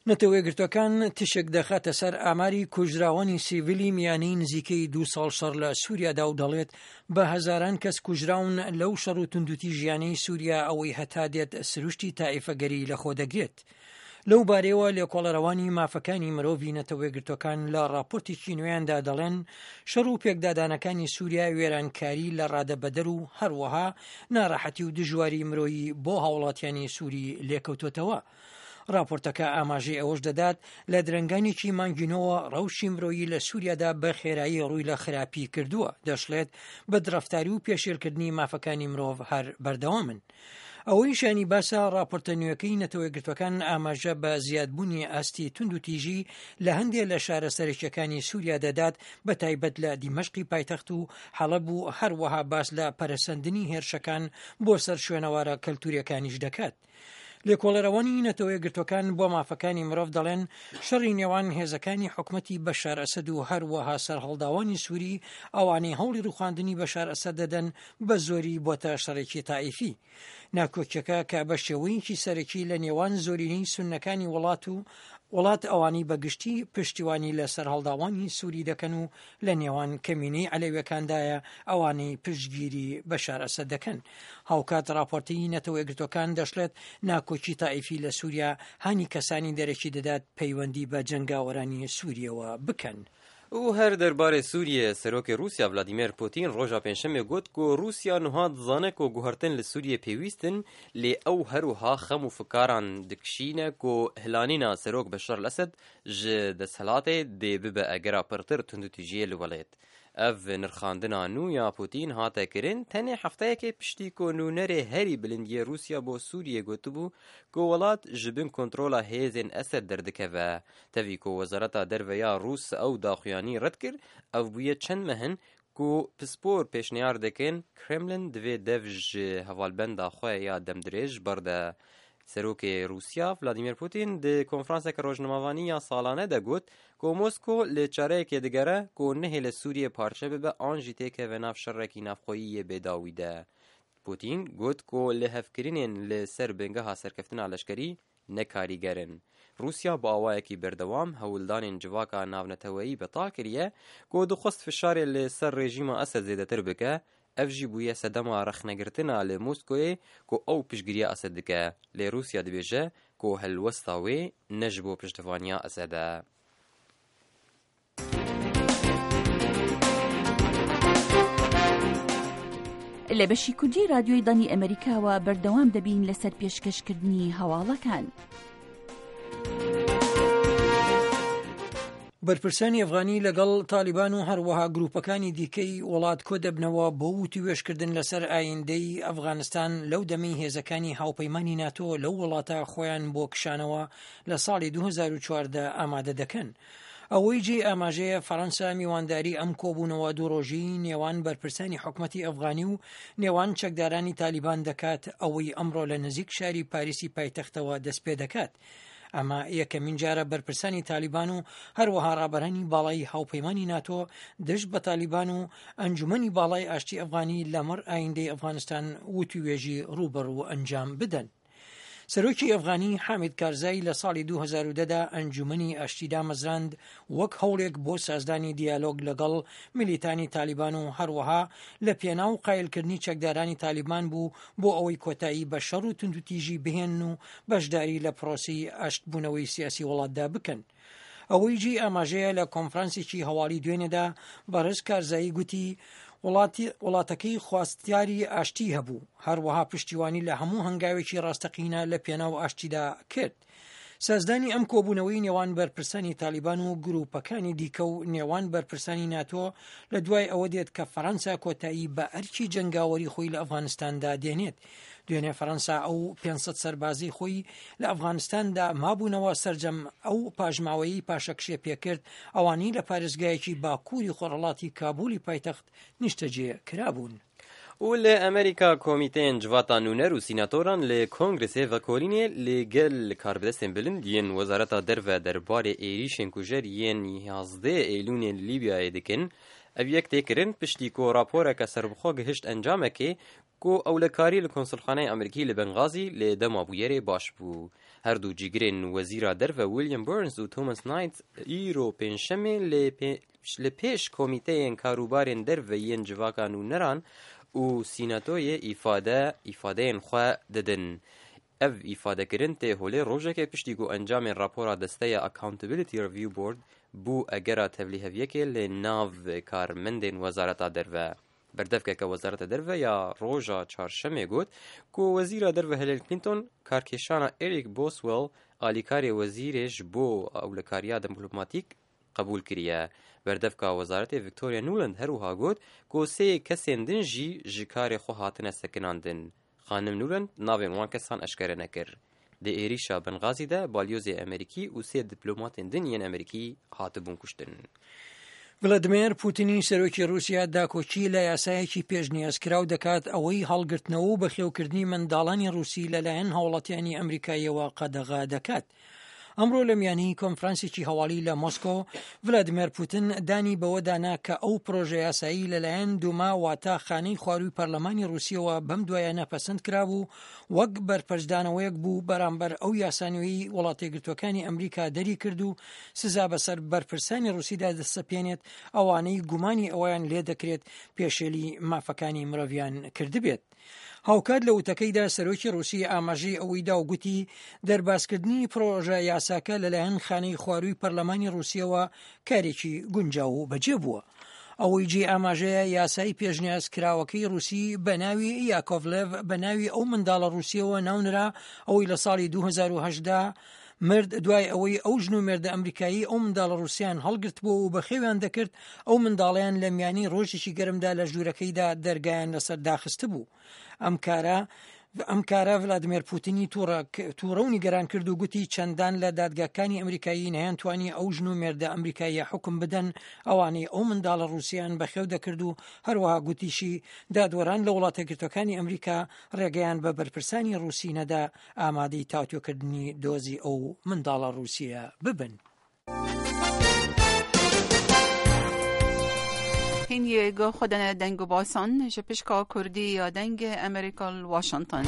نەتەوەیەکگرتووەکان تیشک دەخاتە سەر ئاماری کوژراوانی سیڤیلی میانەی نزیکەی دوو ساڵ شەڕ لە سووریادا و دەڵێت بە هەزاران کەس کوژراون لەو شەڕ و توندوتیژیانەی سووریا ئەوەی هەتا دێت سروشتی تائیفەگەری لەخۆ دەگرێت. لەو بارەیەوە لێکۆڵەرەوانی مافەکانی مرۆڤی نەتەوەیەکگرتووەکان لە ڕاپۆرتێکی نوێیاندا دەڵێن شەڕ و پێکدادانەکانی سووریا وێرانکاری لە ڕادەبەدەر و هەروەها ناڕەحەتی و دژواری مرۆیی بۆ هاوڵاتیانی سووری لێکەوتۆتەوە. ڕاپۆرتەکە ئاماژەی ئەوەش دەدات، لە درەنگانێکی مانگی نۆوە ڕەوشی مرۆیی لە سووریادا بە خێرایی ڕووی لە خراپی کردووە، دەشڵێت، بەدڕەفتاری و پێشێلکردنی مافەکانی مرۆڤ هەر بەردەوامن. ئەوەی شایانی باسە، ڕاپۆرتە نوێکەی نەتەوەیەکگرتووەکان ئاماژە بە زیادبوونی ئاستی توندوتیژی لە هەندێ لە شارە سەرەکییەکانی سووریا دەدات، بەتایبەت لە دیمەشقی پایتەخت و حەڵەب و هەروەها باس لە پەرەسەندنی هێرشەکان بۆ سەر شوێنەوارە کەلتوورییەکانیش دەکات. لێکۆڵەرەوانی نەتەوەیەکگرتووەکان بۆ مافەکانی مرۆڤ دەڵێن شەڕی نێوان هێزەکانی حکومەتی بەشار ئەسەد و هەروەها سەرهەڵداوانی سووری ئەوانەی هەوڵی ڕوخاندنی بەشار ئەسەد دەدەن بە زۆری بۆتە شەڕێکی تائیفی. ناکۆکیەکە کە بە شێوەیەکی سەرەکی لە نێوان زۆرینەی سوننەکانی وڵات و وڵات ئەوانەی بە گشتی پشتیوانی لە سەرهەڵداوانی سووری دەکەن و لە نێوان کەمینەی عەلەویەکاندایە ئەوانەی پشتگیری بەشار ئەسەد دەکەن. هاوکات ڕاپۆرتی نەتەوەیەکگرتووەکان دەشڵێت ناکۆکی تائیفی لە سووریا هانی کەسانی دەرەکی دەدات پەیوەندی بە جەنگاوەرانی سووریەوە بکەن. و هەر دەربارەی سووریە سەرۆکی ڕووسیا ڤلادیمێر پوتین ڕۆژا پێنجشەممێ گوت کو ڕووسیا نوها دزانە کو گوهرتن لە سووریە پێویستن لێ ئەو هەروها خەم و فکاران دکشینە کو هلانینا سەرۆک بەشار ئەسەد ژ دەسهلاتێ دێ ببە ئەگەرا پڕتر توندوتیژیێ لە وەلێت. ئەڤ نرخاندنا نوو یا پوتین هاتە کرن تەنێ هەفتەیەکێ پشتی کو نوونەرێ هەری بلند یێ رووسیا بۆ سووریێ گوتبوو کو وڵات ژ بن کۆنترۆلا هێزێن ئەسەد دەردکەڤە. تەڤی کو وەزارەتا دەرڤە یا رووس ئەو داخویانی رەد کرد، ئەڤ بوویە چەند مەهن کو پسپۆر پێشنیار دکن کرێملن divê dev ji hevalbenda xwe ya demdirêj berde. Serokê Rûsya Vladimir Putin di konferanseke rojnamevanî ya salane de got ku Mosko li çareyekê digere ku nehêle Sûriye parçe bibe an jî têkeve nav şerekî navxweyî yê bêdawî de. Putin got ku lihevkirinên li ser bingeha serkeftina leşkerî ne karîger in. Rûsya bi awayekî berdewam hewldanên civaka navneteweyî betal kiriye ku dixwest fişarê li ser rejîma Esed zêdetir bike, ev jî bûye sedema rexnegirtina li Moskoyê ku ew piştgiriya Esed dike, lê Rûsya dibêje ku helwesta wê ne ji bo piştevaniya Esed e. لە بەشی کوردی رادیۆی دەنگی ئەمەریکاوە بەردەوام دەبین لەسەر پێشکەشکردنی هەواڵەکان. بەرپرسانی ئەفغانی لەگەڵ تالیبان و هەروەها گروپەکانی دیکەی وڵات کۆدەبنەوە بۆ وتووێژکردن لەسەر ئایندەی ئەفغانستان لەو دەمەی هێزەکانی هاوپەیمانی ناتۆ لەو وڵاتە خۆیان بۆ کشانەوە لە ساڵی 2014 ئامادە دەکەن. ئەوەی جێی ئاماژەیە فەرەنسا میوانداری ئەم کۆبوونەوە دوو ڕۆژیی نێوان بەرپرسانی حکومەتی ئەفغانی و نێوان چەکدارانی تالیبان دەکات، ئەوەی ئەمڕۆ لە نزیک شاری پاریسی پایتەختەوە دەستپێدەکات. ئەمە یەکەمین جارە بەرپرسانی تالیبان و هەروەها ڕابەرانی باڵای هاوپەیمانی ناتۆ دژ بە تالیبان و ئەنجومەنی باڵای ئاشتی ئەفغانی لەمەڕ ئایندەی ئەفغانستان وتووێژی ڕووبەڕوو ئەنجام بدەن. سەرۆکی ئەفغانی حامید کارزای لە ساڵی 2010 دا ئەنجومەنی ئاشتی دامەزراند وەک هەوڵێک بۆ سازدانی دیالۆگ لەگەڵ میلیتانی تالیبان و هەروەها لە پێناو قایلکردنی چەکدارانی تالیبان بوو بۆ ئەوەی کۆتایی بە شەڕ و توندوتیژی بهێنن و بەشداری لە پرۆسەی ئاشتبوونەوەی سیاسی وڵاتدا بکەن. ئەوەی جێی ئاماژەیە لە کۆنفرانسێکی هەواڵی دوێنێدا بەڕێز کارزایی گوتی وڵاتی وڵاتەکەی خواستیاری ئاشتی هەبوو هەروەها پشتیوانی لە هەموو هەنگاوێکی ڕاستەقینە لە پێناو ئاشتیدا کرد. سازدانی ئەم کۆبوونەوەی نێوان بەرپرسانی تالیبان و گروپەکانی دیکە و نێوان بەرپرسانی ناتۆ لە دوای ئەوە دێت کە فەرەنسا کۆتایی بە ئەرکی جەنگاوەری خۆی لە ئەفغانستاندا دێنێت. دوێنێ فەرەنسا ئەو 500 سەربازەی خۆی لە ئەفغانستاندا مابوونەوە سەرجەم ئەو پاشماوەیەی پاشەکشێ پێکرد ئەوانەی لە پارێزگایەکی باکووری خۆرهەڵاتی کابولی پایتەخت نیشتەجێ کرابوون. و لە ئەمریکا کۆمیتەیên civata nûner û sînatoran li Kongresê vekolînê li gel karbidestên bilind yên Wezareta Derve derbarê êrîşên kujer yên 11 Eylûnê li Lîbyayê dikin. Ev yek tê kirin piştî ku raporeke serbixwe gihişt encamekê ku ewlekarî li konsulxaneya Amerîkî li Bengazî li dema bûyerê baş bû. Her du cîgirên Wezîra Derve William Burns û Thomas Knight îro Pêncşemê li pêş komîteyên karûbarên derve yên civaka nûneran û sînatoyê îfade îfadeyên xwe didin. Ev îfadekirin tê holê rojekê piştî ku encamên rapora desteya Accountability Review Board bû egera tevlîheviyekê li nav karmendên Wezareta Derve. Berdevkeke Wezareta Derve ya roja Çarşemê got ku Wezîra Derve Hillary Clinton karkêşana Eric Boswell alîkarê wezîrê ji bo ewlekariya diplomatîk qebûl kiriye. Berdevka wezaretê Victoria Nuland her wiha got ku sê kesên din jî ji karê xwe hatine sekinandin. Xanim Nuland navên wan kesan eşkere nekir. Di êrîşa Benxazî de balyozê Amerîkî û sê diplomatên din yên Amerîkî hatibûn kuştin. Vladimir Putinî سەرۆکی ڕووسیا داکۆکی لە یاسایەکی پێشنیازکراو دەکات ئەوەی هەڵگرتنەوە و بەخێوکردنی منداڵانی ڕووسی لەلایەن هاوڵاتیانی ئەمریکاییەوە قەدەغە دەکات. ئەمڕۆ لە میانی کۆنفرانسێکی هەواڵی لە مۆسکۆ، ڤلادیمێر پوتن دانی بەوەدا نا کە ئەو پرۆژە یاسایی لەلایەن دوما واتە خانەی خوارووی پەرلەمانی ڕووسیەوە بەم دوایانە پەسەند کرابوو وەک بەرپەرچدانەوەیەک بوو بەرامبەر ئەو یاسا نوێی وڵاتەیەکگرتووەکانی ئەمریکا دەریکرد و سزا بەسەر بەرپرسانی ڕووسیدا دەسەپێنێت ئەوانەی گومانی ئەوەیان لێدەکرێت پێشێلی مافەکانی مرۆڤیان کردبێت. هاوکات لە وتەکەیدا سەرۆکی ڕوسی ئاماژەی ئەوەی دا و گوتی، دەربازکردنی پڕۆژە یاساکە لەلایەن خانەی خوارووی پەرلەمانی ڕوسیەوە کارێکی گونجاو و بەجێ بووە. ئەوەی جێی ئاماژەیە یاسای پێشنیاز کراوەکەی ڕوسی بە ناوی یاکۆڤلێڤ بە ناوی ئەو منداڵە ڕوسیەوە ناونرا ئەوەی لە ساڵی 2018 مرد دوای ئەوەی ئەو ژن و مێردە ئەمریکایی ئەو منداڵە ڕوسیان هەڵگرتبوو و بەخێویان دەکرد، ئەو منداڵەیان لە میانی ڕۆژێکی گەرمدا لە ژوورەکەیدا دەرگایان لەسەر داخستبوو. ئەم کارە ئەم کارە ڤلادیمێر پوتینی تووڕە و نیگەران کرد و گوتی چەندان لە دادگاکانی ئەمریکایی نەیانتوانی ئەو ژن و مێردە ئەمریکاییە حوکم بدەن ئەوانەی ئەو منداڵە ڕووسیان بەخێو دەکرد و هەروەها گوتیشی دادوەران لە وڵاتەیەکگرتووەکانی ئەمریکا ڕێگەیان بە بەرپرسانی ڕووسی نەدا ئامادەی تاوتوێکردنی دۆزی ئەو منداڵە ڕووسییە ببن. Hingê guh xwe dane deng û basan ji pişka Kurdî ya Dengê Amerîka li Washington.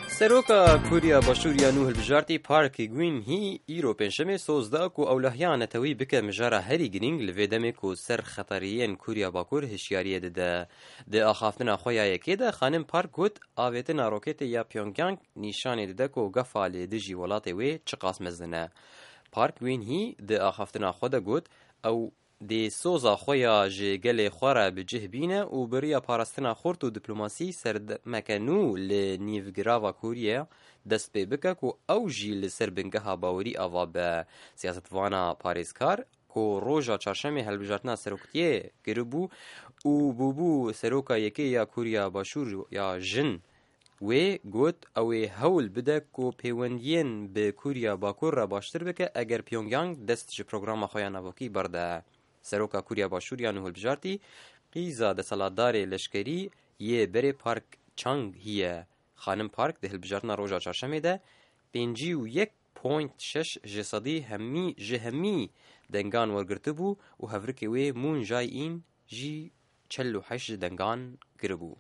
Seroka Koriya Başûr ya nû hilbijartî Park Geun-hye îro Pêncşemê soz da ku ewlehiya netewî bike mijara herî girîng li vê demê ku ser xeteriyên Koriya Bakur hişyariyê dide. Di axaftina xwe ya yekê de Xanim Park got, Avêtina roketê ya Pyongyang nîşanê dide ku gefa li dijî welatê wê çiqas mezin e. Park Geun-hye di axaftina xwe de got, ew dê soza xwe ya ji gelê xwe re bi cih bîne û bi riya parastina xurt û diplomasî serdemeke nû li nîvgirava Koriye dest pê bike ku ew jî li ser bingeha bawerî ava be. Siyasetvana parêzkar ku roja çarşemê hilbijartina seroktiyê kiribû û bûbû seroka yekê ya Koriya Başûr ya jin. Wê got ew ê hewl bide ku pêwendiyên bi Koriya Bakur re baştir bike eger Pyongyang dest ji programa xwe ya navokî berde. Seroka Koriya Başûr ya nû hilbijartî qîza deselatdarê leşkerî yê berê Park Chung-hee ye. Xanim Park di hilbijartina roja çarşemê de 51 Point şeş ji sedî hemî ji hemî dengan wergirtibû û hevrikê wê Moon Jae-in jî 48 ji dengan kiribû.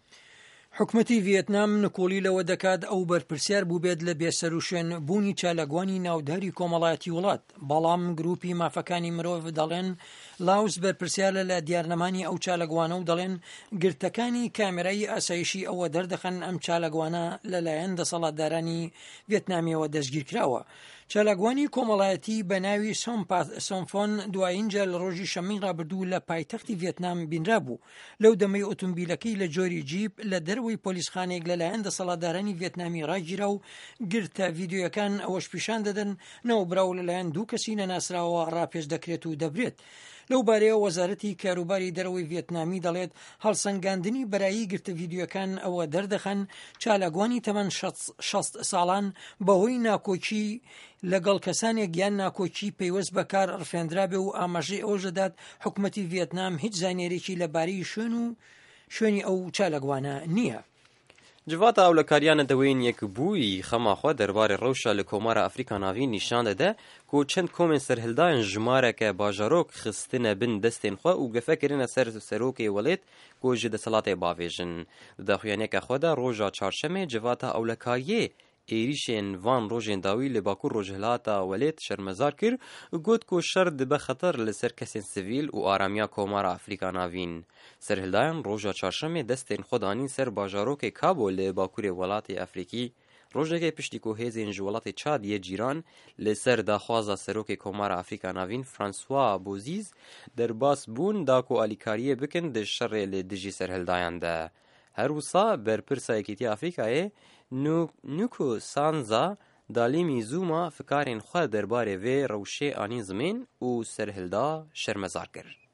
حکومەتی ڤیێتنام نکوڵی لەوە دەکات ئەو بەرپرسیار بووبێت لە بێسەروشوێن بوونی چالاکوانی ناوداری کۆمەڵایەتی وڵات، بەڵام گروپی مافەکانی مرۆڤ دەڵێن لاوس بەرپرسیارە لە دیارنەمانی ئەو چالاکوانە و دەڵێن گرتەکانی کامێرای ئاسایشی ئەوە دەردەخەن ئەم چالاکوانە لەلایەن دەسەڵاتدارانی ڤێتنامیەوە دەستگیرکراوە. چالاکوانی کۆمەڵایەتی بە ناوی سۆمپات سۆمفۆن دوایین جار لە ڕۆژی شەممەی ڕابردوو لە پایتەختی ڤێتنام بینرابوو، لەو دەمەی ئۆتۆمبیلەکەی لە جۆری جیپ لە دەرەوەی پۆلیسخانەیەک لەلایەن دەسەڵاتدارانی ڤێتنامی ڕاگیرا و گرتە ڤیدیۆیەکان ئەوەش پیشان دەدەن ناوبراو لەلایەن دوو کەسی نەناسراوەوە ڕاپێچ دەکرێت و دەبرێت. لەو بارەیەوە وەزارەتی کاروباری دەرەوەی ڤێتنامی دەڵێت، هەڵسەنگاندنی بەرایی گرتە ڤیدیۆکان ئەوە دەردەخەن چالاکوانی تەمەن 60 ساڵان بەهۆی ناکۆکی لەگەڵ کەسانێک یان ناکۆکی پەیوەست بە کار ڕفێندرابێ و ئاماژەی ئەوەش دەدات حکومەتی ڤێتنام هیچ زانیاریی لەبارەی شوێن و شوێنی ئەو چالاکوانە نییە. Civata Ewlekariya Neteweyên Yekbûyî xema xwe derbarê rewşa li Komara Afrîka Navîn nîşan dide ku çend komên serhildayan jimareke bajarok xistine bin destên xwe û gefe kirine ser serokê welêt ku ji desthilatê bavêjin. Di daxuyaniyeke xwe de roja çarşemê Civata Ewlekariyê. êrîşên van rojên dawî li bakur rojhilata welêt şermezar kir û got ku şer dibe xeter li ser kesên sivîl û aramiya Komara Afrîka Navîn. Serhildayan roja çarşemê destên xwe danîn ser bajarokê Kabo li bakurê welatê Afrîkî. Rojekê piştî ku hêzên ji welatê Çad yê cîran li ser daxwaza Serokê Komara Afrîka Navîn François Bozîz derbas bûn da ku alîkariyê bikin di şerê li dijî serhildayan de. Her wisa berpirsa Yekîtiya Afrîkayê Nuku Sanza Dalîmî Zuma fikarên xwe derbarê vê rewşê anîn zimên û serhilda şermezar kir.